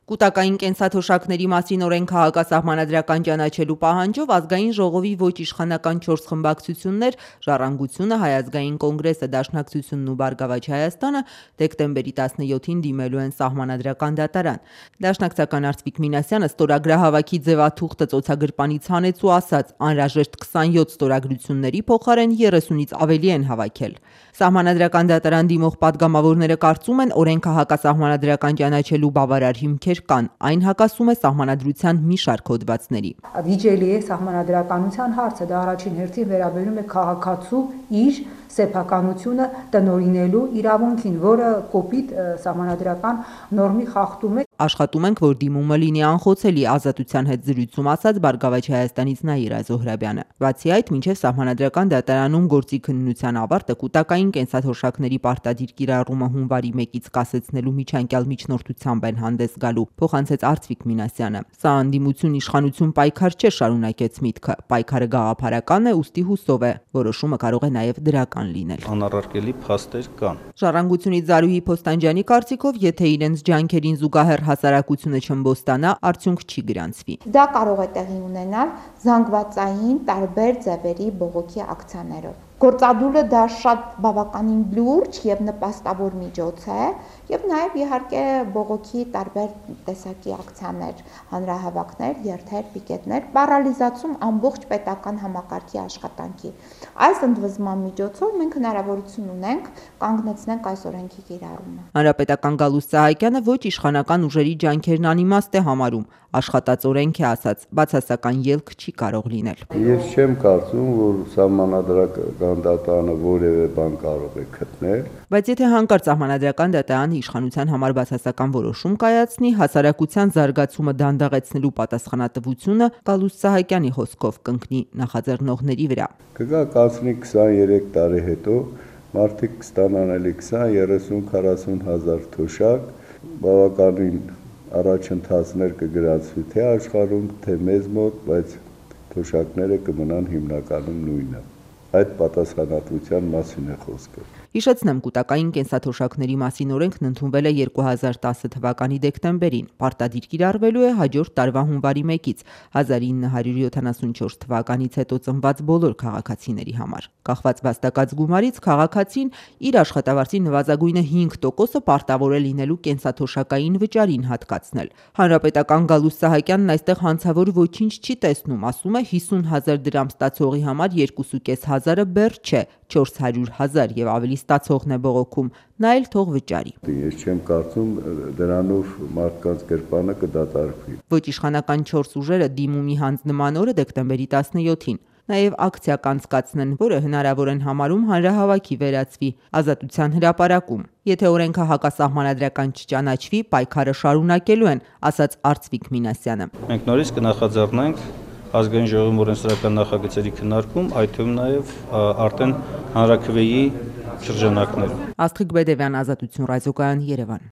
Կուտակային կենսաթոշակների մասին օրենքը հակասահմանադրական ճանաչելու պահանջով ազգային ժողովի ոչ իշխանական 4 խմբակցություններ՝ Ժառանգությունը, Հայ ազգային կոնգրեսը, Դաշնակցությունն ու Բարգավաճ Հայաստանը դեկտեմբերի 17-ին դիմելու են Սահմանադրական դատարան։ Դաշնակցական Արծվիկ Մինասյանը ստորագրահավաքի ձևաթուղթը ծոցագրպանից հանեց ու ասաց՝ անհրաժեշտ 27 ստորագրությունների փոխարեն 30-ից ավելի են հավաքել։ Սահմանադրական դատարան դիմող պատգամավորները կարծում են, օրենքը հակասահմանադրական ճանաչելու բավարար հիմքեր կան, այն հակասում է սահմանադրության մի շարք հոդվածների։ Վիճելի է սահմանադրականության հարցը, դա առաջին հերթին վերաբերում է քաղաքացու իր սեփականությունը տնօրինելու իրավունքին, որը կոպիտ սահմանադրական նորմի խախտում է։ Աշխատում ենք, որ դիմումը լինի անխոցելի, Ազատության հետ զրույցում ասաց Բարգավաճ Հայաստանից Նաիրա Զոհրաբյանը։ Բացի այդ, մինչև Սահմանադրական դատարանում գործի քննության ավարտը կուտակային կենսաթոշակների պարտադիր կիրառումը հունվարի 1-ից կասեցնելու միջանկյալ միջնորդությամբ են հանդես գալու, փոխանցեց Արծվիկ Մինասյանը։ Սա անդիմություն իշխանություն պայքար չէ, շարունակեց միտքը։ Պայքարը գաղափարական է, ուստի հուսով է, որոշումը կարող է նաև դրական լինել։ Անառարկելի փաստեր կան։ Ժառանգությունից Զարուհի Փոստանջյանի կարծիքով, եթե իրենց ջանքերին զուգահեռ հասարակությունը չըմբոստանա, արդյունք չի գրանցվի։ Դա կարող է տեղի ունենալ զանգվածային տարբեր ձևերի բողոքի ակցիաներով։ Գործադուլը դա շատ բավականին լուրջ եւ նպաստավոր միջոց է եւ նաեւ իհարկե բողոքի տարբեր տեսակի ակցիաներ, հանրահավաքներ, երթեր, պիկետներ, պարալիզացում ամբողջ պետական համակարգի աշխատանքի։ Այս ընդվզման միջոցով մենք հնարավորություն ունենք կանգնեցնենք այս օրենքի կիրառումը։ Հանրապետական Գալուստ Սահակյանը ոչ իշխանական ուժերի ջանքերն անիմաստ է համարում, աշխատած օրենք է ասած, բացասական ելք չի կարող լինել։ Ես չեմ կարծում, որ սահմանադրական դատարանը որևէ բան կարող է գտնել։ Բայց եթե հանկարծ Սահմանադրական դատարանը իշխանության համար բացասական որոշում կայացնի, հասարակության զարգացումը դանդաղեցնելու պատասխանատվությունը Գալուստ Սահակյանի խոսքով կընկնի նախաձեռնողների վրա։ Կգա կացնի 23 տարի հետո մարդիկ կստանան էլի 20-30-40 հազար թոշակ, բավականին առաջընթացներ կգրացվի թե աշխարհում, թե մեզ մոտ, բայց թոշակները կմնան հիմնականում նույնը։ Այդ պատասխանատվության մասին է խոսքը։ Հիշեցնեմ, կուտակային կենսաթոշակների մասին օրենքն ընդունվել է 2010 թվականի դեկտեմբերին, պարտադիր կիրառվելու է հաջորդ տարվա հունվարի 1-ից 1974 թվականից հետո ծնված բոլոր քաղաքացիների համար։ Կախված վաստակած գումարից քաղաքացին իր աշխատավարձի նվազագույնը 5%-ը պարտավոր է լինելու կենսաթոշակային վճարին հատկացնել։ Հանրապետական Գալուստ Սահակյանն այստեղ հանցավոր ոչինչ չի տեսնում, ասում է 50,000 դրամ ստացողի համար 2,500-ը բեռ չէ, 400,000 եւ ավելի ստացողն է բողոքում, նա էլ թող վճարի։ Ես չեմ կարծում դրանով մարդկանց գրպանը կդատարկվի։ Ոչ իշխանական 4 ուժերը դիմումի հանձնման օրը դեկտեմբերի 17-ին նաև ակցիա կանցկացնեն, որը հնարավոր են համարում հանրահավաքի վերածվի Ազատության հրապարակում։ Եթե օրենքը հակասահմանադրական չճանաչվի, պայքարը շարունակելու են, ասաց Արծվիկ Մինասյանը։ Մենք նորից կնախաձեռնենք ազգային ժողովի օրենսդրական նախագծերի քննարկում, այդ թվում նաև արդեն հանրաքվեի շրջանակներում։ Աստղիկ Բեդևյան, Ազատություն ռադիոկայան, Երևան։